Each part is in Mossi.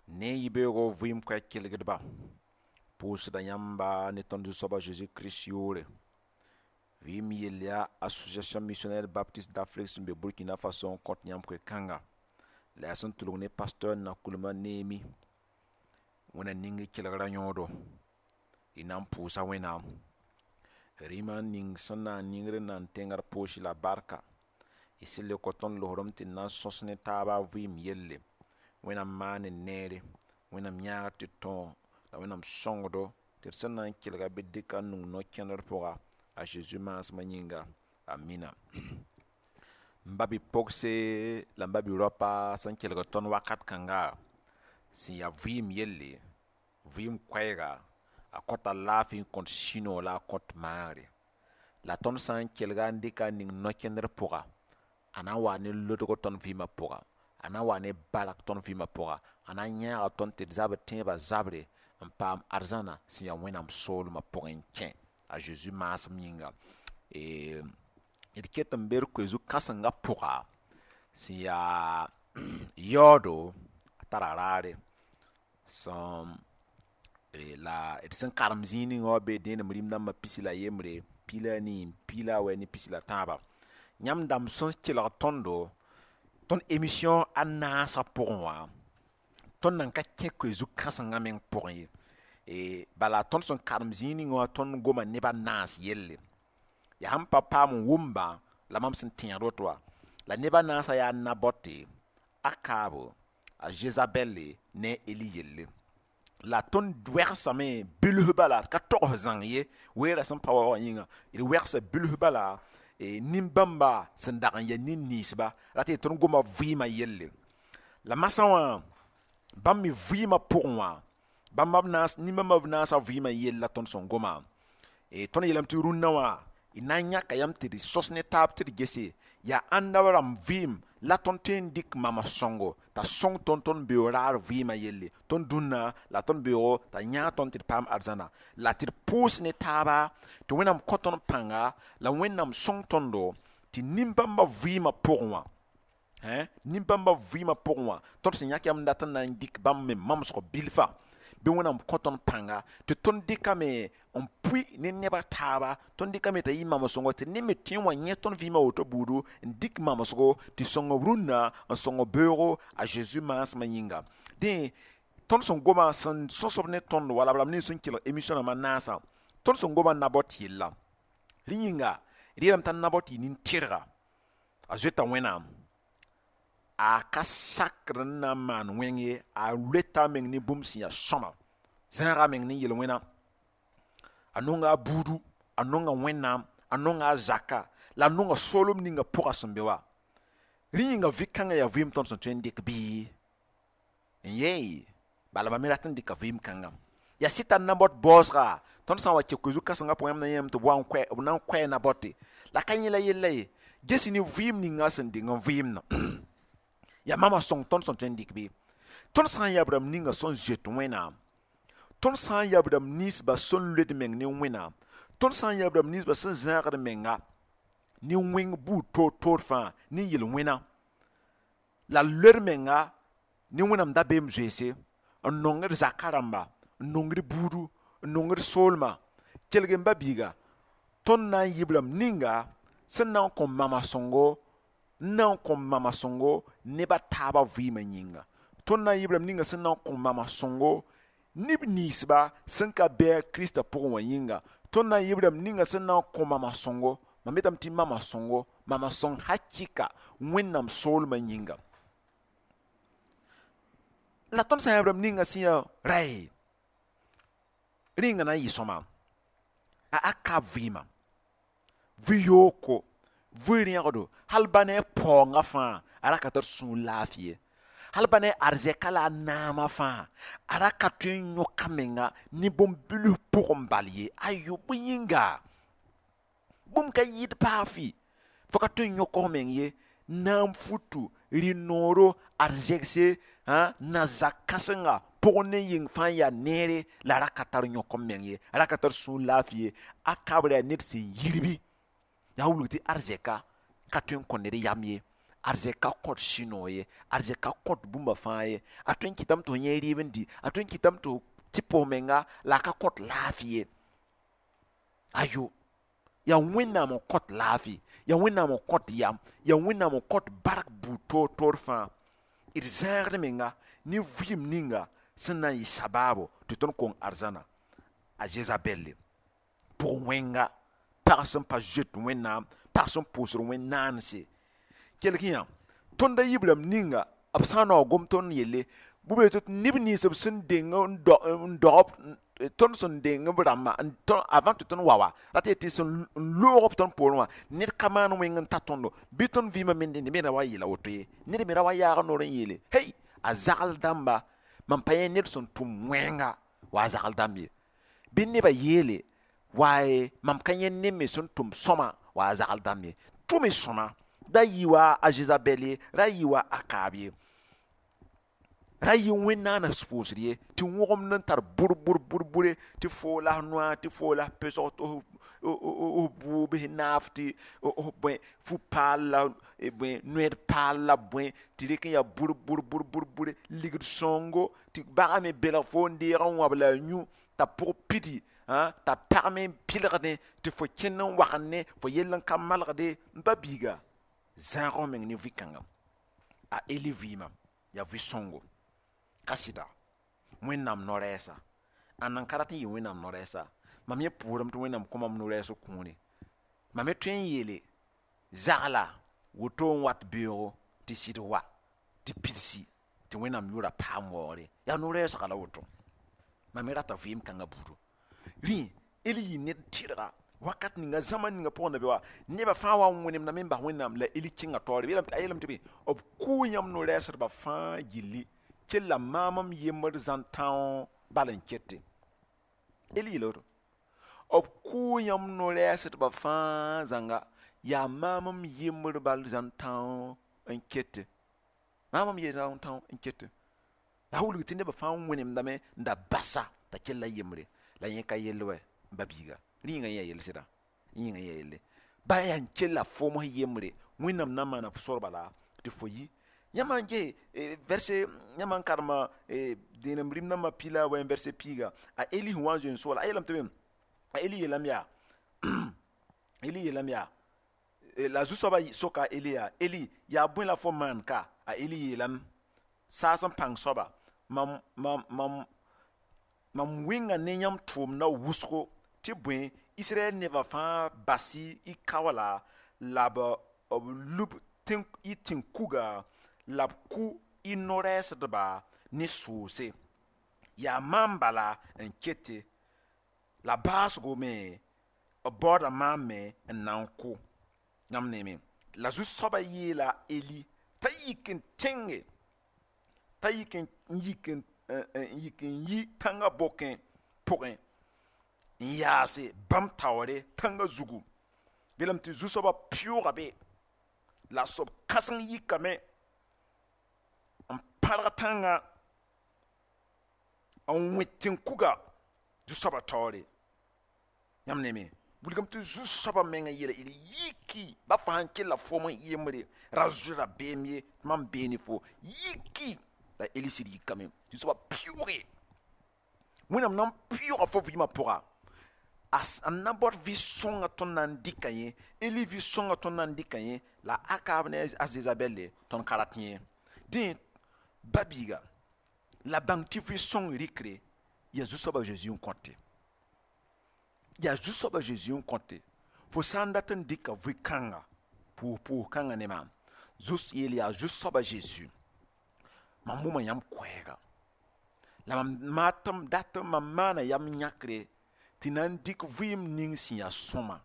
Ne yibeoogo vɩɩm koɛɛg kelgdba, pʋʋsda yãmba ne tõnd Zu-soab a Zeezi Kirist yʋʋre. Vɩɩm yell yaa Association Missionnaire Baptiste d'Afrique sẽn be Burkina Faso n kõt yãmb koe-kãnga la yaa sẽn tʋlg ne pasteur Nakulma Neemi. Wẽnna ning y kelgra yõodo, y na n pʋʋsa Wẽnnaam. Rĩmã ning sẽn na n ningr n na n tẽng d poosi la barka. Y sẽn le kõ tõnd losrem tɩ d na n sõs ne taaba vɩɩm yelle. Wẽnnaam maan n neere, Wẽnnaam yãagr tɩ tõog la Wẽnnaam sõngdo tɩ d sẽn na n kelga bɩ dɩka n nung no-kẽndr pʋga a Zeezi maasmã yĩnga. Amina. M ba bi-pogse la m ba bi-raopa sẽn kelg tõnd wakat kãnga sẽn yaa vɩɩm yelle, vɩɩm koɛɛga, a kõta laafɩ n kõt sũ-noog la a kõt maagre. La tõnd sã n kelga n dɩka n ning no-kẽndr pʋga, a na n waa ne lodg tõnd vɩɩmã pʋga, a na n waa ne bark tõnd vɩɩmã pʋga, a na n yãaga tõnd tɩ d zabr tẽebã zabre n paam arzãna sẽn yaa Wẽnnaam soolmã pʋgẽ n kẽ a Zeezi maasem yĩnga. D ket n be d koe-zu-kãsengã pʋga sẽn yaa yaoodo, a tara raare sẽn la d sẽn karem zĩig ninga wã bee dẽenem rĩm dãmbã 13, 14, 19 ne 13. Yãmb dãmb sẽn kelg tõndo, tõnd émission a naasã pʋgẽ wã, tõnd nan ka kẽ koe-zu-kãsengã meng pʋgẽ ye. Bala tõnd sẽn karem zĩig ninga wã, tõnd goma neb a naas yelle. Yaa sẽn pa paam n wʋmba la mam sẽn tẽegd woto wã. La neb a naasã yaa Nabɔte, Akaab, a Zezabɛle ne a Eli yelle. La tõnd wɛgsame bilf bala, d ka togs zãng ye, weerã sẽn pa wa wã yĩnga, d wɛgsa bilf bala nin-bãmba sẽn dag n yaa nin-ninsba rat tɩ tõnd goma vɩɩmã yelle. La masã wã, bãmb me vɩɩmã pʋgẽ wã, bãmba b naas, nin-bãmba b naasã vɩɩmã yell la tõnd sẽn goma. Tõnd yeelame tɩ rũnnã wã, y na n yãka yãmb tɩ d sõs ne taab tɩ d gese yaa ãnda rãmb vɩɩm la tõnd tõe n dɩk mama sõngo t'a sõng tõnd tõnd beoog raar vɩɩmã yelle, tõnd dũnna la tõnd beoogo t'a yãag tõnd tɩ d paam arzãna, la tɩ d pʋʋs ne taaba tɩ Wẽnnaam kõ tõnd pãnga la Wẽnnaam sõng tõndo tɩ nin-bãmba vɩɩmã pʋgẽ wã, nin-bãmba vɩɩmã pʋgẽ wã, tõnd sẽn yãk yãmb n dat n na n dɩk bãmb me mamsg bilfa, bɩ Wẽnnaam kõ tõnd pãnga tɩ tõnd dɩkame n pʋɩ ne nebã taaba, tõnd dɩkame t'a yɩ mamsgo tɩ ned me tõe n wa yẽ tõnd vɩɩmã woto buudu n dɩk mamsgo tɩ sõng b rũnnã n sõng beoogo a Zeezi maasmã yĩnga. Dẽ tõnd sẽn goma sẽn sõsb ne tõnd wala b rãmb nins sẽn kelg émission rãmbã naasã, tõnd sẽn goma Nabɔt yella. Rẽ yĩnga d yeelame t'a Nabɔt yɩ nin-tɩrga, a zoeta Wẽnnaam, a ka sakr n na n maan wẽng ye, a loeta a meng ne bũmb sẽn yaa sõma, zãaga a meng ne yel-wẽna, a nonga a buudu, a nonga Wẽnnaam, a nonga a zaka, la a nonga soolem ninga pʋga sẽn be wa. Rẽ yĩnga vɩ-kãngã yaa vɩɩm tõnd sẽn tõe n dɩk bɩ n yee, bala mam me rat n dɩka vɩɩm kãngã. Yaa sɩta Nabɔt baoosga, tõnd sã n wa kẽ koe-zu-kãsengã pʋgẽ, yãmb na yẽem tɩ b wa n koɛ, b na n koɛɛ Nabɔte. La ka yẽ la yella ye, ges ne vɩɩm ninga sẽn deng n vɩɩmdã. Yaa mama sõng tõnd sẽn tõe n dɩk bɩ. Tõnd sã n yaa b rãmb ninga sẽn zoet Wẽnnaam, tõnd sã n yaa b rãmb ninsba sẽn loed meng ne Wẽnnaam, tõnd sã n yaa b rãmb ninsba sẽn zãagd menga ne wẽng buud toor-toor fãa ne yel-wẽna, la loed menga ne Wẽnnaam dabeem zoeese, n nongd zaka rãmba, n nongd buudu, n nongd soolmã, kelg n ba biiga, tõnd na n yɩ b rãmb ninga sẽn na n kõ mama sõngo, n na n kõ mama sõngo neb a taabã vɩɩmã yĩnga. Tõnd na n yɩ b rãmb ninga sẽn na n kõ mama sõngo neb ninsba sẽn ka bɩ a Kiristã pʋgẽ wã yĩnga. Tõnd na n yɩ b rãmb ninga sẽn na n kõ mama sõngo, mam yetame tɩ mama sõngo, mama sõng hakɩka Wẽnnaam soolmã yĩnga. La tõnd sã n yaa b rãmb ninga sẽn yaa ray, rẽnga na n yɩ sõma a Akab vɩɩmã, vɩ-yooko, vɩ-rẽgdo, hal ba ne a paoongã fãa, a ra ka tar sũur laafɩ ye. Hal ba ne a arzɛka la a naamã fãa, a ra ka tõe n yõk a menga ne bũmb-bilf pʋgẽ bal ye. Ayo, bõe yĩnga? Bũmb ka yɩɩd baa fɩ, fo ka tõe n yõk f meng ye. Naam futu, rɩ-nooro, arzɛgse, na-zak kãsenga pʋgẽ ne yĩng fãa yaa neere, la a ra ka tar yõk m meng ye, a ra ka tar sũur laafɩ ye. Akab ra yaa ned sẽn yirbi. Yaa wilg tɩ arzɛka ka tõe n kõ ned yam ye. Arzɛk ka kõt sũ-noog ye, arzɛk ka kõt bũmba fãa ye. A tõe n kɩtame tɩ fo yẽ rɩɩb n di, a tõe n kɩtame tɩ fo tɩ pʋs menga, la a ka kõt laafɩ ye. Ayo, yaa Wẽnnaam n kõt laafɩ, yaa Wẽnnaam n kõt yam, yaa Wẽnnaam n kõt bark buud toor toor fãa. D zãagd menga ne vɩɩm ninga sẽn na n yɩ sabaabo tɩ tõnd kong arzãna. A Zezabɛlle pʋg wẽnga, pag sẽn pa zoet Wẽnnaam, pag sẽn pʋʋsd wẽn-naanse. Kelg yã, tõnd a yiib rãmb ninga b sã n naoog gom tõnd yelle, bʋ tɩ neb nins b sẽn deng n dog tõnd sẽn deng b rãmbã avant tɩ tõnd wa wa rat tɩ sẽn loog b tõnd poorẽ wã, ned ka maan wẽng n ta tõndo bɩ tõnd vɩɩmã me ned me ra wa yeela woto ye, ned me ra wa yaag noor n yeele hey, a zagl dãmba, mam pa yẽ ned sẽn tʋm wẽnga wa a zagl dãmb ye, bɩ nebã yeele waaye mam ka yẽ ned me sẽn tʋm sõma wa a zagl dãmb ye. Tʋm y sõma, da yɩ wa a Zezabɛl ye, ra yɩ wa a Akaab ye, ra yɩ wẽn-naana pʋʋsd ye, tɩ wõgemd n tar bʋr bʋr bʋr bʋre, tɩ foo la f noa, tɩ foo la f pesg, tɩ f bʋʋb f naaf, tɩ f bõe fu-paal la bõe noɛd paal la bõe, tɩ rɩk n yaa bʋr bʋr bʋr bʋr bʋre, ligd sõngo, tɩ bagã me belg fo n deeg n wãb la a yũ t'a pʋg pidi, t'a pag me n pɩlgdẽ, tɩ fo kẽnd n wagende, fo yell n ka malgde. N ba biiga, zãag f meng ne vɩ-kãnga. A Eli vɩɩmã yaa vɩ-sõngo ka sɩda Wẽnnaam no-rɛɛsa. Ãnna n ka rat n yɩ Wẽnnaam no-rɛɛsa? Mam yẽ pʋʋrame tɩ Wẽnnaam kõ mam no-rɛɛs kũune. Mam me tõe n yeele zagla woto n wat beoogo tɩ sɩd wa tɩ pidsi tɩ Wẽnnaam yʋʋra paam waoogre. Yaa no-rɛɛsga la woto. Mam me rata vɩɩm kãngã buudu. Rẽ Eli yɩ ned tɩrga wakat ninga zãma ninga pʋgẽ na be wa nebã fãa wa n wẽnemdame n bas Wẽnnaam la Eli kẽnga taoore. A yeelame tɩ bɩ b kʋʋ yãmb no-rɛɛsdbã fãa gilli, kell maam m yembr zãn-tão bal n kete. Eli yeela woto, b kʋʋ yãmb no-rɛɛsdbã fãa zãnga, yaa maam m yembr bal zãn-tão n kete, maam m ye zãn-tão n kete. La wilg tɩ nebã fãa wẽnemdame n da basa t'a kell a yembre, la yẽ ka yell wɛ. N ba biiga, rĩnga yẽ yaa yell sɩda, yĩnga yẽ yaa yelle ba yaa n kella foom s yembre. Wẽnnaam na n maana f sor bala tɩ fo yi. Yãmb n ges verset, yãmb n karema dẽenem rĩm nambã pila wa verset piiga, a Eli sẽn wa n zoe n sooola, a yeelame tɩ bõe? A Eli yeelame yaa, Eli yeelame yaa, la zu-soabã soka a Eli yaa: Eli, yaa bõe la fo maan ka? A Eli yeelame: saas n pãng soaba, mam wẽnga ne yãmb tʋʋmdã wʋsgo, tɩ bõe Israɛl nebã fãa bas-y y kaoola, la b lub y tẽn-kuga, la b kʋ y no-rɛɛsdba ne soose. Yaa maam bala n kete, la baasgo me b baooda maam me n na n kʋ. Yãmb neeme, la zu-soabã yeela Eli t'a yik n tẽnge, t'a yik n yik n yi tãngã bokẽ pʋgẽ n yaase bãmb taoore tãngã zugu. Belame tɩ zu-soabã pɩʋʋga be, la soab kãseng yikame n pãrg tãngã n wẽ tẽn-kuga zu-soabã taoore. Yãmb neeme, wilgame tɩ zu-soabã meng n yeela Eli: yiki, ba fãa n kella foom n yembre, ra zoe rabeem ye, tɩ mam bee ne fo, yiki. La Eli sɩd yikame, zu-soabã pɩʋʋge. Wẽnnaam na n pɩʋʋga fo vɩɩmã pʋga, a na baood vɩ-sõngã tõnd na n dɩka yẽ, Eli vɩ-sõngã tõnd na n dɩka yẽ, la Akaab ne a Zezabɛlle tõnd ka rat yẽ. Dẽ ba biiga, la bãng tɩ vɩ-sõng rɩkre yaa zu-soabã Zeezi n kõte, yaa zu-soabã Zeezi n kõte. Fo sã n dat n dɩka vɩ-kãnga pʋʋs kãngã ne maam, zus yeel yaa zu-soabã Zeezi, mam wʋma yãmb koɛɛga, la mam maatm dat mam maana yam yãkre tɩ na n dɩk vɩɩm ning sẽn yaa sõma,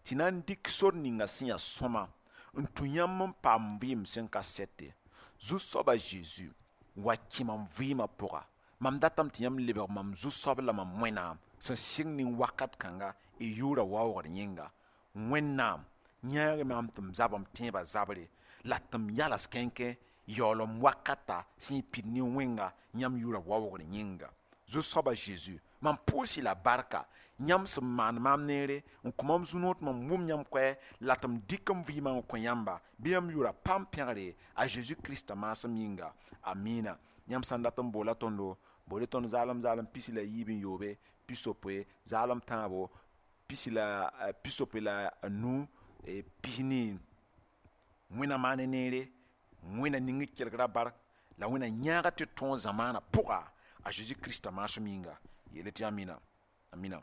tɩ na n dɩk sor ninga sẽn yaa sõma n tũ yãmb n paam vɩɩm sẽn ka sɛte. Zu-soabã Zeezi wa kẽ mam vɩɩmã pʋga, mam datame tɩ yãmb lebg mam zu-soab la mam Wẽnnaam sẽn sɩng ning wakat kãnga y yʋʋra waoogd yẽnga. Wẽnnaam yãag maam tɩ m zab m tẽebã zabre, la tɩ m yals kẽnkẽ yaool m wakata sẽn pid ne wẽnga yãmb yʋʋra waoogd yẽnga. Zu-soabã Zeezi, Mam pʋʋs-y la barka yãmb sẽn maan maam neere n kõ mam zu-noor tɩ mam wʋm yãmb koɛɛ la tɩ m dɩk m vɩɩmã n kõ yãmba. Bɩ yãmb yʋra paam pẽgre a Zeezi Krista maasem yĩnga. Amina. Yãmb sã n dat n boola tõndo, bool tõnd zaalem zaalem 67 60 zaalem tãabo 65 40. Wẽnna maane neere, Wẽnna ning d kelgra bark, la Wẽnna yãaga tɩ d tõog zamaanã pʋga a Zeezi Krista maasem yĩnga. Yeele tɩ amina, amina.